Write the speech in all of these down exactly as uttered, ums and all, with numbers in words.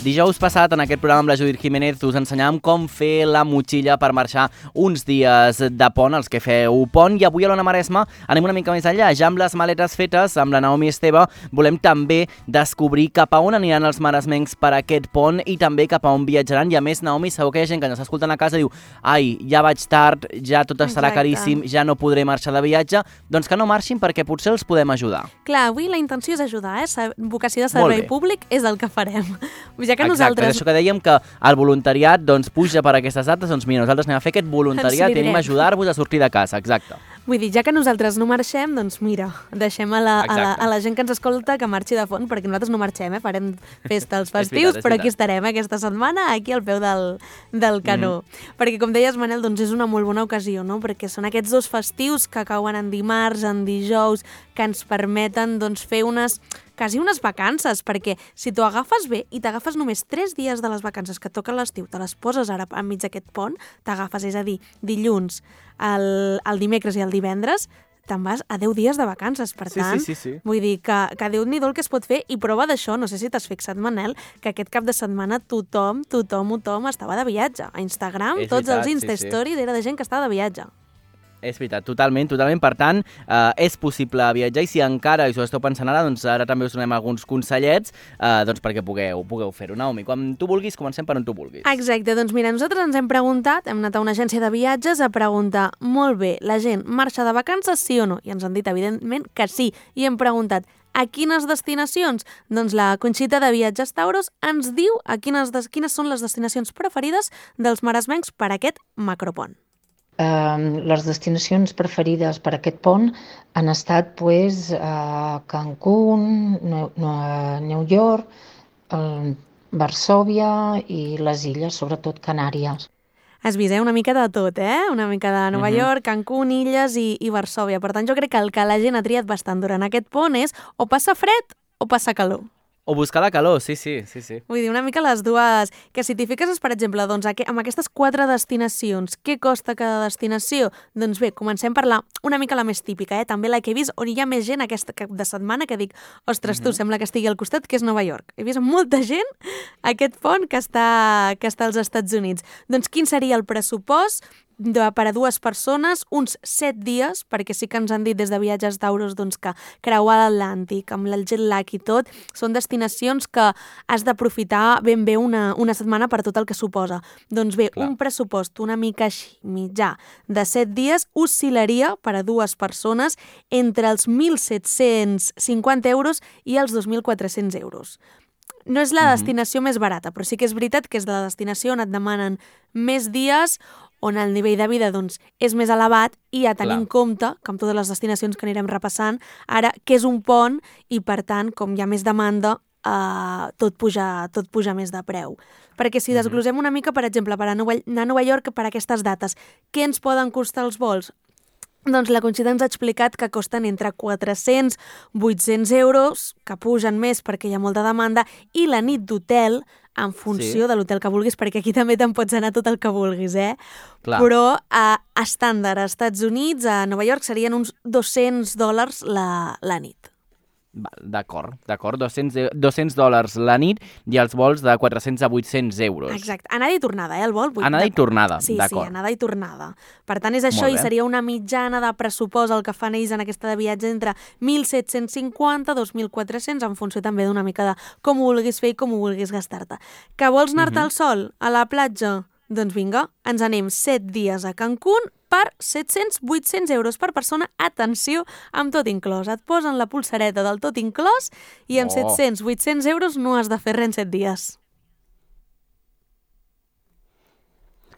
Dijous passat, en aquest programa amb la Judit Jiménez, us ensenyàvem com fer la motxilla per marxar uns dies de pont, els que feu pont, i avui a l'Ona Maresma anem una mica més enllà. Ja amb les maletes fetes, amb la Naomi Esteve, volem també descobrir cap a on aniran els maresmencs per aquest pont i també cap a on viatjaran. I a més, Naomi, segur que hi ha gent que ens està escoltant a casa i diu ai, ja vaig tard, ja tot estarà Exacte. caríssim, ja no podré marxar de viatge. Doncs que no marxin perquè potser els podem ajudar. Clar, avui la intenció és ajudar, eh? Vocació de servei públic és el que farem. Ja que Exacte, nosaltres... és això que dèiem que el voluntariat doncs, puja per aquestes dates, doncs mira, nosaltres anem a fer aquest voluntariat i anem a ajudar-vos a sortir de casa, exacte. Vull dir, ja que nosaltres no marxem, doncs mira, deixem a la, a la, a la gent que ens escolta que marxi de font, perquè nosaltres no marxem, eh? Farem festa als festius, però aquí estarem eh? aquesta setmana, aquí al peu del, del canó. Mm. Perquè, com deies, Manel, doncs és una molt bona ocasió, no? Perquè són aquests dos festius que cauen en dimarts, en dijous, que ens permeten doncs, fer unes... quasi unes vacances, perquè si t'ho agafes bé i t'agafes només tres dies de les vacances que toquen l'estiu, te les poses ara enmig d'aquest pont, t'agafes, és a dir, dilluns, el, el dimecres i el divendres, te'n vas a deu dies de vacances. Per tant, sí, sí, sí, sí. vull dir que, que Déu-n'hi-do el que es pot fer, i prova d'això, no sé si t'has fixat, Manel, que aquest cap de setmana tothom, tothom, tothom estava de viatge. A Instagram, és tots veritat, els Insta-Stories sí, sí. era de gent que estava de viatge. És veritat, totalment, totalment. Per tant, eh, és possible viatjar i si encara us ho esteu pensant ara, doncs ara també us donem alguns consellets eh, doncs perquè pugueu, pugueu fer-ho. Naomi, quan tu vulguis, comencem per on tu vulguis. Exacte, doncs mira, nosaltres ens hem preguntat, hem anat a una agència de viatges a preguntar, molt bé, la gent marxa de vacances, sí o no? I ens han dit, evidentment, que sí. I hem preguntat, a quines destinacions? Doncs la Conxita de Viatges Tauros ens diu a quines, quines són les destinacions preferides dels maresmencs per a aquest macropont. Uh, les destinacions preferides per a aquest pont han estat pues, uh, Cancún, no, no, New York, uh, Varsòvia i les illes, sobretot Canàries. Has vist, eh? Una mica de tot, eh? Una mica de Nova Uh-huh. York, Cancún, illes i, i Varsòvia. Per tant, jo crec que el que la gent ha triat bastant durant aquest pont és o passar fred o passar calor. O buscar la calor, sí, sí, sí, sí. Vull dir, una mica les dues... Que si t'hi fiques, per exemple, doncs, amb aquestes quatre destinacions, què costa cada destinació? Doncs bé, comencem per la, una mica la més típica, eh? També la que he vist on hi ha més gent aquesta cap de setmana que dic, ostres, tu, Mhm. sembla que estigui al costat, que és Nova York. He vist molta gent a aquest pont que està, que està als Estats Units. Doncs quin seria el pressupost de, per a dues persones? Uns set dies, perquè sí que ens han dit des de Viatges Tauros doncs, que creuar l'Atlàntic amb el jet lag i tot, són destinacions que has d'aprofitar ben bé una, una setmana per tot el que suposa. Doncs bé, Clar. un pressupost una mica així, mitjà, de set dies, oscil·laria per a dues persones entre els mil set-cents cinquanta euros i els dos mil quatre-cents euros. No és la destinació mm-hmm. més barata, però sí que és veritat que és la destinació on et demanen més dies, on el nivell de vida doncs, és més elevat i a tenir en compte, que amb totes les destinacions que anirem repassant, ara que és un pont i, per tant, com hi ha més demanda, eh, tot, puja, tot puja més de preu. Perquè si desglosem una mica, per exemple, per anar a Nova York per aquestes dates, què ens poden costar els vols? Doncs la Conxita ens ha explicat que costen entre quatre-cents i vuit-cents euros, que pugen més perquè hi ha molta demanda, i la nit d'hotel, en funció sí. de l'hotel que vulguis, perquè aquí també te'n pots anar tot el que vulguis, eh? Clar. Però a estàndard a Estats Units, a Nova York, serien uns dos-cents dòlars la, la nit. D'acord, d'acord, dos-cents dòlars la nit i els vols de quatre-cents a vuit-cents euros. Exacte, anada i tornada, eh, el vol? Anada i tornada, sí, d'acord. Sí, anada i tornada. Per tant, és això, i seria una mitjana de pressupost el que fan ells en aquesta de viatge entre mil set-cents cinquanta i dos mil quatre-cents, en funció també d'una mica de com ho vulguis fer i com ho vulguis gastar-te. Que vols anar-te Mhm. al sol, a la platja? Doncs vinga, ens anem set dies a Cancún per set-cents a vuit-cents euros per persona. Atenció, amb tot inclòs. Et posen la pulsareta del tot inclòs i amb Oh. set-cents a vuit-cents euros no has de fer res en set dies.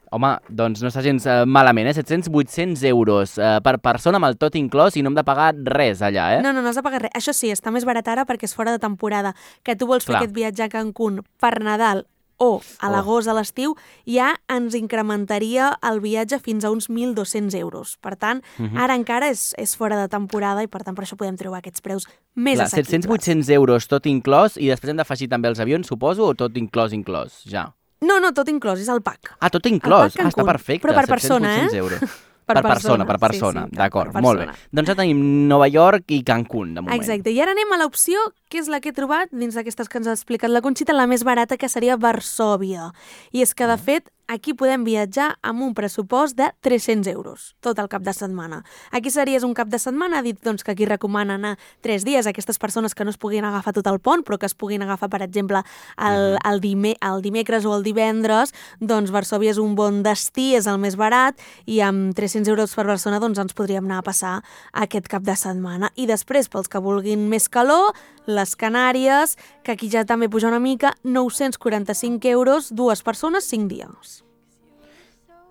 Home, doncs no està gens eh, malament, eh? set-cents a vuit-cents euros eh, per persona amb el tot inclòs i no hem de pagar res allà, eh? No, no, no has de pagar res. Això sí, està més barat ara perquè és fora de temporada. Que tu vols Clar. fer aquest viatge a Cancún per Nadal o a l'agost, a l'estiu, ja ens incrementaria el viatge fins a uns mil dos-cents euros. Per tant, Mhm. ara encara és, és fora de temporada i per tant per això podem trobar aquests preus més Clar, assequibles. set-cents a vuit-cents euros tot inclòs i després hem d'afegir també els avions, suposo, o tot inclòs, inclòs, ja? No, no, tot inclòs, és el pack. Ah, tot inclòs. pack Ah, està Cancún, perfecte. però per persona, set-cents a vuit-cents eh? euros. Per, per persona, persona, per persona, sí, sí, d'acord, per molt bé. persona. Doncs ja tenim Nova York i Cancún, de moment. Exacte, i ara anem a l'opció, que és la que he trobat, dins d'aquestes que ens ha explicat la Conxita, la més barata, que seria Varsòvia. I és que, de fet, aquí podem viatjar amb un pressupost de tres-cents euros, tot el cap de setmana. Aquí series un cap de setmana, ha dit doncs, que aquí recomana anar tres dies a aquestes persones que no es puguin agafar tot el pont, però que es puguin agafar, per exemple, el, el, dime, el dimecres o el divendres, doncs Varsòvia és un bon destí, és el més barat, i amb tres-cents euros per persona doncs, ens podríem anar a passar aquest cap de setmana. I després, pels que vulguin més calor, les Canàries, que aquí ja també puja una mica, nou-cents quaranta-cinc euros, dues persones, cinc dies.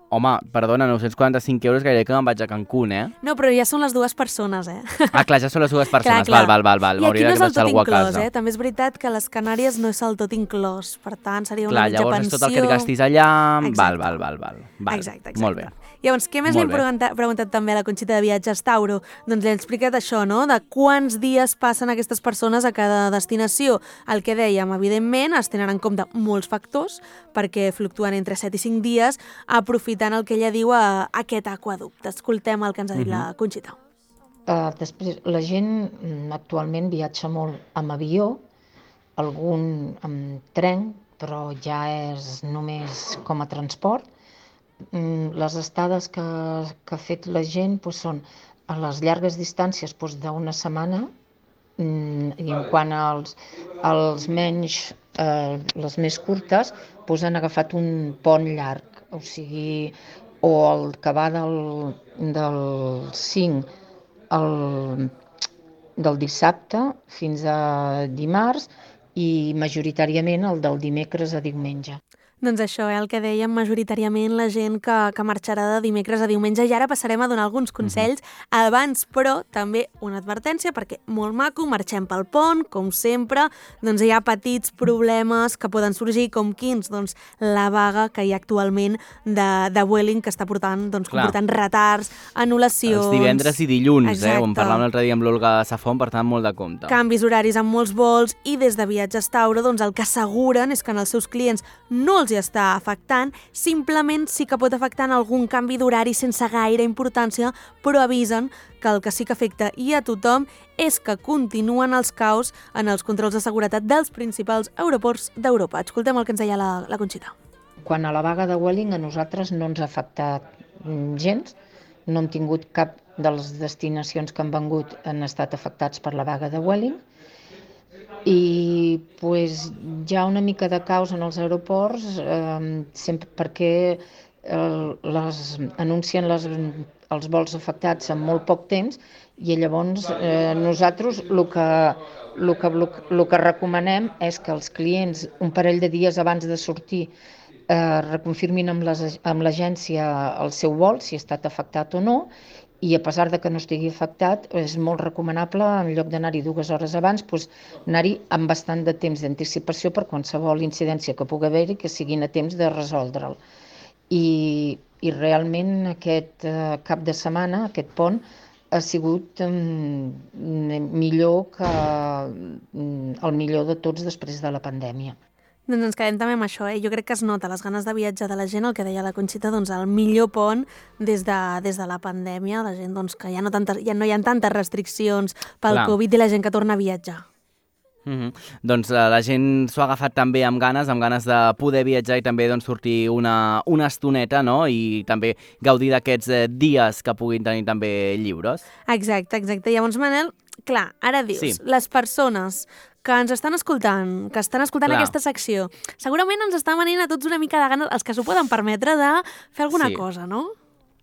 Home, perdona, nou-cents quaranta-cinc euros, gairebé que me'n vaig a Cancún, eh? No, però ja són les dues persones, eh? Ah, clar, ja són les dues persones, clar, clar. val, val, val, val. I aquí no és el tot algú a inclòs, casa. eh? També és veritat que les Canàries no és el tot inclòs, per tant, seria una Clar, mitja llavors pensió. és tot el que et gastis allà, Exacte. val, val, val, val. val. Exacte, exacte. Molt bé. Llavors, què més li Molt hem bé. preguntat, preguntat també a la Conxita de Viatges Tauro? Doncs li hem explicat això, no?, de quants dies passen aquestes persones a cada destinació. El que dèiem, evidentment, es tenen en compte molts factors, perquè fluctuen entre set i cinc dies, aprofitant el que ella diu a aquest aquaducte. Escoltem el que ens ha dit la Conxita. Uh, després, la gent mm, actualment viatja molt amb avió, algun amb tren, però ja és només com a transport. Mm, les estades que, que ha fet la gent doncs, són a les llargues distàncies doncs, d'una setmana, mm, i en quant als, als menys, eh, les més curtes, doncs, han agafat un pont llarg, o sigui, o el que va del, del cinc al, del dissabte fins a dimarts i majoritàriament el del dimecres a diumenge. Doncs això, eh, el que dèiem, majoritàriament la gent que, que marxarà de dimecres a diumenge. I ara passarem a donar alguns consells. Uh-huh. Abans, però, també una advertència, perquè molt maco, marxem pel pont, com sempre, doncs hi ha petits problemes que poden sorgir, com quins? Doncs la vaga que hi ha actualment de, de Vueling, que està portant, doncs, comportant retards, anul·lacions... Els divendres i dilluns, Exacte. eh? On parlàvem l'altre dia amb l'Olga Safon, per tant, molt de compte. Canvis horaris amb molts vols, i des de Viatges Tauro, doncs el que asseguren és que en els seus clients no els hi està afectant, simplement sí que pot afectar en algun canvi d'horari sense gaire importància, però avisen que el que sí que afecta i a tothom és que continuen els caos en els controls de seguretat dels principals aeroports d'Europa. Escoltem el que ens deia la, la Conxita. Quan a la vaga de Vueling a nosaltres no ens ha afectat gens, no hem tingut cap de les destinacions que han vengut han estat afectats per la vaga de Vueling, i pues, hi ha una mica de caos en els aeroports eh, sempre perquè eh, les, anuncien les, els vols afectats en molt poc temps i llavors eh, nosaltres el que, el, que, el que recomanem és que els clients un parell de dies abans de sortir eh, reconfirmin amb l'agència el seu vol, si ha estat afectat o no, i a pesar de que no estigui afectat, és molt recomanable, en lloc d'anar-hi dues hores abans, doncs, anar-hi amb bastant de temps d'anticipació per qualsevol incidència que pugui haver-hi, que siguin a temps de resoldre'l. I, i realment aquest eh, cap de setmana, aquest pont, ha sigut mm, millor que mm, el millor de tots després de la pandèmia. Doncs ens quedem també amb això, eh? Jo crec que es nota les ganes de viatjar de la gent, el que deia la Conxita, doncs el millor pont des de, des de la pandèmia, la gent doncs, que ja no, tantes, ja no hi ha tantes restriccions pel Clar. Covid i la gent que torna a viatjar. Mm-hmm. Doncs uh, la gent s'ho ha agafat també amb ganes, amb ganes de poder viatjar i també doncs, sortir una, una estoneta, no? I també gaudir d'aquests eh, dies que puguin tenir també lliures. Exacte, exacte. Llavors, Manel, clar, ara dius, Sí. les persones que ens estan escoltant, que estan escoltant Clar. aquesta secció, segurament ens està venint a tots una mica de ganes, els que s'ho poden permetre, de fer alguna Sí. cosa, no?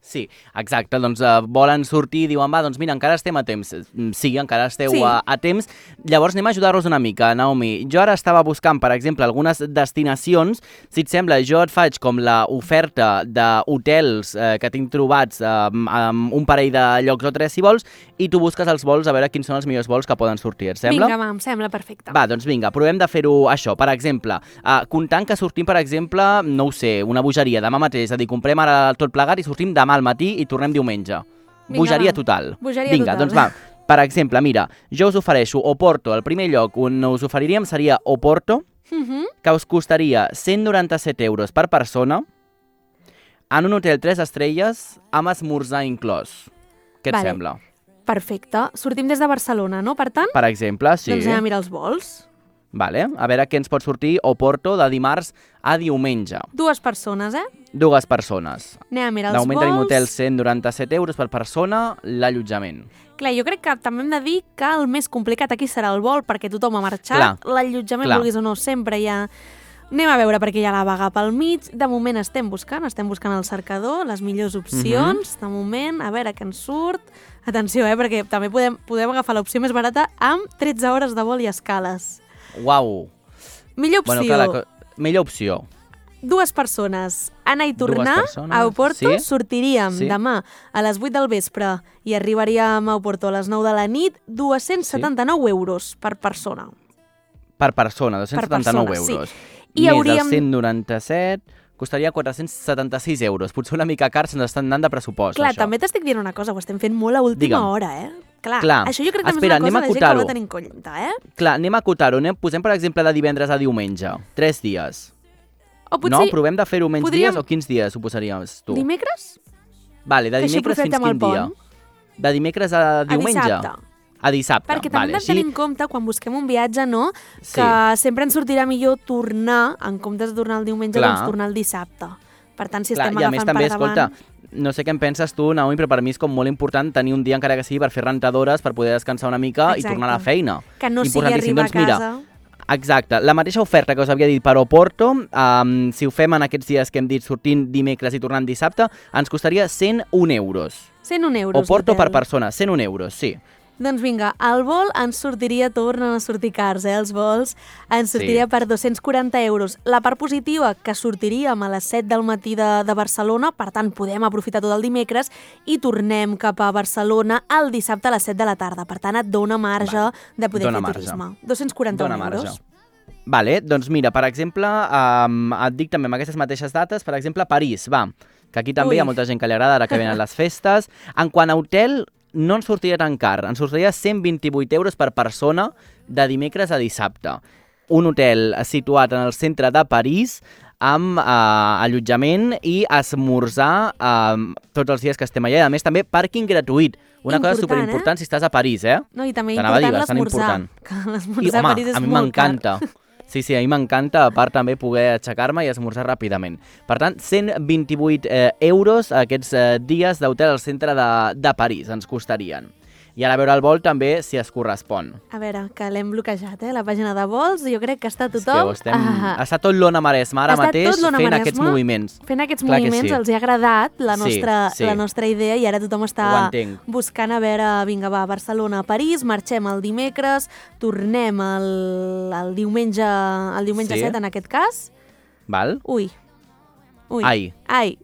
Sí, exacte, doncs uh, volen sortir i diuen, va, doncs mira, encara estem a temps. Sí, encara esteu Sí. a, a temps. Llavors anem a ajudar-los una mica, Naomi. Jo ara estava buscant, per exemple, algunes destinacions. Si et sembla, jo et faig com l'oferta d'hotels eh, que tinc trobats eh, amb un parell de llocs o tres, si vols, i tu busques els vols a veure quins són els millors vols que poden sortir, et sembla? Vinga, va, em sembla perfecte. Va, doncs vinga, provem de fer-ho això. Per exemple, uh, comptant que sortim, per exemple, no ho sé, una bogeria demà mateix, és a dir, comprem ara tot plegat i sortim demà al matí i tornem diumenge. Vinga, Bogeria va. total. Bogeria vinga, total. doncs va. Per exemple, mira, jo us ofereixo Oporto. El primer lloc on us oferiríem seria Oporto, Uh -huh. que us costaria cent noranta-set euros per persona. en un hotel tres estrelles amb esmorzar inclòs. Què et Vale. sembla? Perfecte. Sortim des de Barcelona, no? Per tant, Per exemple, sí. doncs anem a mirar els vols. Vale. A veure què ens pot sortir Oporto de dimarts a diumenge. Dues persones, eh? Dues persones. Anem a mirar els D'augment vols. tenim hotel cent noranta-set euros per persona, l'allotjament. Clar, jo crec que també hem de dir que el més complicat aquí serà el vol, perquè tothom ha marxat. Clar. L'allotjament, Clar. vulguis o no, sempre hi ha... Anem a veure perquè hi ha la vaga pel mig. De moment estem buscant, estem buscant al cercador les millors opcions. De moment, a veure què ens surt. Atenció, eh, perquè també podem, podem agafar l'opció més barata amb tretze hores de vol i escales. Uau! Millor opció, Bueno, clar, la... co- millor opció. dues persones. Anar i Dues tornar persones, a Oporto. sí. Sortiríem Sí. demà a les vuit del vespre i arribaríem a Oporto a les nou de la nit. dos-cents setanta-nou euros per persona. Per persona, dos-cents setanta-nou persona, sí. euros. I Més hauríem- els cent noranta-set, costaria quatre-cents setanta-sis euros. Potser una mica car, se'ns estan anant de pressupost, Clar, això. també t'estic dient una cosa, ho estem fent molt a última Digue'm. hora, eh? Clar, Clar. això jo crec que Espera, també és anem a una cosa de gent que ho ha acotar-ho. de tenir en compte, eh? Clar, anem a acotar-ho. Anem, posem, per exemple, de divendres a diumenge. Tres dies. O No? potser Provem de fer-ho menys podríem- dies o quins dies ho posaries tu? dimecres? Vale, de que així dimecres fins aprofitem el quin dia? pont. De dimecres a diumenge? A dissabte. A dissabte. Perquè també vale, hem de així... tenir en compte, quan busquem un viatge, no? Sí. Que sempre ens sortirà millor tornar, en comptes de tornar el diumenge, Clar. doncs tornar el dissabte. Per tant, si Clar, estem i a agafant més també, per davant... escolta, no sé què en penses tu, Naomi, però per mi és com molt important tenir un dia encara que sigui per fer rentadores, per poder descansar una mica Exacte. i tornar a la feina. Que no sigui Importantíssim. arribar doncs, a mira, casa... Exacte. La mateixa oferta que us havia dit per Oporto, um, si ho fem en aquests dies que hem dit sortint dimecres i tornant dissabte, ens costaria cent un euros. cent un euros. Oporto l'hotel. per persona, cent un euros, sí. Doncs vinga, el vol ens sortiria, tornen a sortir cars, eh, els vols, ens sortiria Sí. per dos-cents quaranta euros. La part positiva, que sortiríem a les set del matí de, de Barcelona, per tant, podem aprofitar tot el dimecres i tornem cap a Barcelona el dissabte a les set de la tarda. Per tant, et dona marge Vale. de poder Dona fer marge. turisme. dos-cents quaranta Dona euros. marge. Vale, doncs mira, per exemple, um, et dic també amb aquestes mateixes dates, per exemple, París, va, que aquí també Ui. hi ha molta gent que li agrada, ara que venen les festes. En quant a hotel, no ens sortiria tan car, ens sortiria cent vint-i-vuit euros per persona de dimecres a dissabte. Un hotel situat en el centre de París amb eh, allotjament i esmorzar eh, tots els dies que estem allà. I a més també pàrquing gratuït, una cosa Important, superimportant si estàs a París, eh? No, i també T'anava a dir, important bastant l'esmorzar. important. Que I, l'esmorzar a home, París és a mi molt car. m'encanta. Sí, sí, a mi m'encanta, a part també poder aixecar-me i esmorzar ràpidament. Per tant, cent vint-i-vuit eh, euros aquests eh, dies d'hotel al centre de, de París ens costarien. I ara a veure el vol també si es correspon. A veure, que l'hem bloquejat, eh? La pàgina de vols, jo crec que està És que tothom... ho estem... Ah, Està tot l'Ona Maresma ara Està mateix tot l'Ona fent Maresma aquests moviments. fent aquests Clar que moviments, sí. els hi ha agradat la Sí, nostra, sí. la nostra idea i ara tothom Ho està entenc. buscant a veure, vinga, va, Barcelona a París, marxem el dimecres, tornem el, el diumenge, el diumenge Sí. set en aquest cas. Val? Ui, ui, Ai. ai.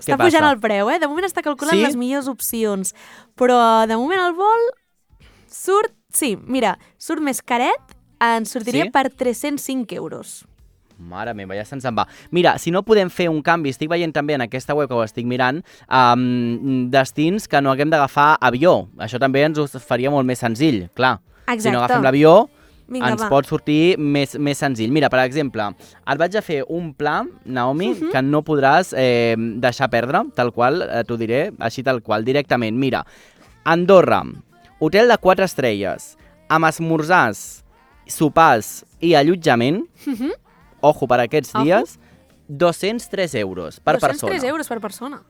Està passa? pujant el preu, eh? De moment està calculant Sí? les millors opcions, però de moment el vol surt, sí, mira, surt més caret, ens sortiria Sí? per tres-cents cinc euros. Mare meva, ja se'ns en va. Mira, si no podem fer un canvi, estic veient també en aquesta web que ho estic mirant, um, destins que no haguem d'agafar avió. Això també ens ho faria molt més senzill, clar. Si Exacte. no agafem l'avió, Vinga, ens va. pot sortir més, més senzill. Mira, per exemple, et vaig a fer un pla, Naomi, uh -huh. que no podràs eh, deixar perdre, tal qual, eh, t'ho diré, així tal qual, directament. Mira, Andorra, hotel de quatre estrelles, amb esmorzars, sopars i allotjament, Uh -huh. ojo, per aquests Ojo. dies, dos-cents tres euros per dos-cents persona. tres euros per persona.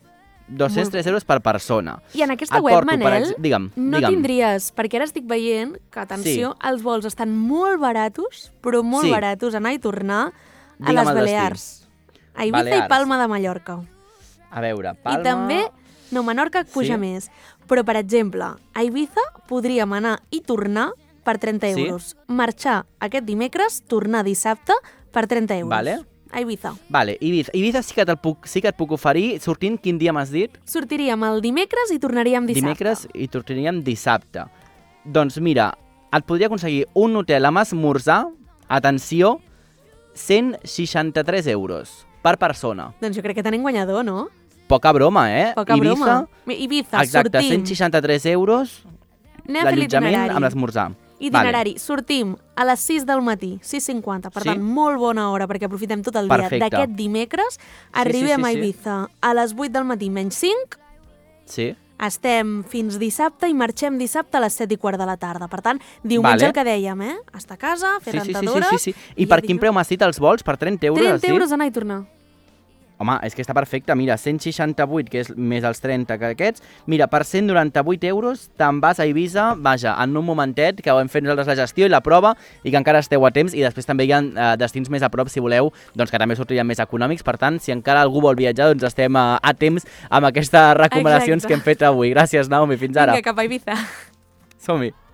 dos-cents tres euros per persona. I en aquesta Et web, porto, per Manel, ex- digue'm, no digue'm. tindries, perquè ara estic veient que, atenció, els vols estan molt baratos, però molt Sí. baratos, anar i tornar a Digue'm les el destí. Balears. A Ibiza Balears. i Palma de Mallorca. A veure, Palma... I també, no, Menorca puja Sí. més. Però, per exemple, a Ibiza podríem anar i tornar per trenta Sí. euros. Marxar aquest dimecres, tornar dissabte per trenta euros. Vale. A Ibiza. Vale, Ibiza, Ibiza sí que, te'l puc, sí que et puc oferir, sortint, quin dia m'has dit? Sortiríem el dimecres i tornaríem dissabte. Dimecres i tornaríem dissabte. Doncs mira, et podria aconseguir un hotel amb esmorzar, atenció, cent seixanta-tres euros per persona. Doncs jo crec que tenim guanyador, no? Poca broma, eh? Poca Ibiza, broma. Ibiza, exacte, sortim. cent seixanta-tres euros Anem a fer l'allotjament l'itinerari. amb l'esmorzar. Itinerari. Vale. Sortim a les sis del matí, sis cinquanta, per Sí? tant, molt bona hora perquè aprofitem tot el Perfecte. dia d'aquest dimecres. sí, Arribem sí, a sí. Eivissa a les vuit del matí menys cinc, Sí. estem fins dissabte i marxem dissabte a les set i quart de la tarda. Per tant, diumenge Vale. el que dèiem, eh? Estar a casa, fer Sí, sí, sí, sí, rentadores... sí, sí. I per quin preu m'has dit els vols? Per trenta euros? has trenta dit? euros anar i tornar. Home, és que està perfecte. Mira, cent seixanta-vuit, que és més els trenta que aquests. Mira, per cent noranta-vuit euros te'n vas a Eivissa, vaja, en un momentet, que ho hem fet nosaltres la gestió i la prova, i que encara esteu a temps, i després també hi ha eh, destins més a prop, si voleu, doncs que també sortirien més econòmics. Per tant, si encara algú vol viatjar, doncs estem a, a temps amb aquestes recomanacions Exacte. que hem fet avui. Gràcies, Naomi. Fins ara. Vinga, cap a Eivissa. Som-hi.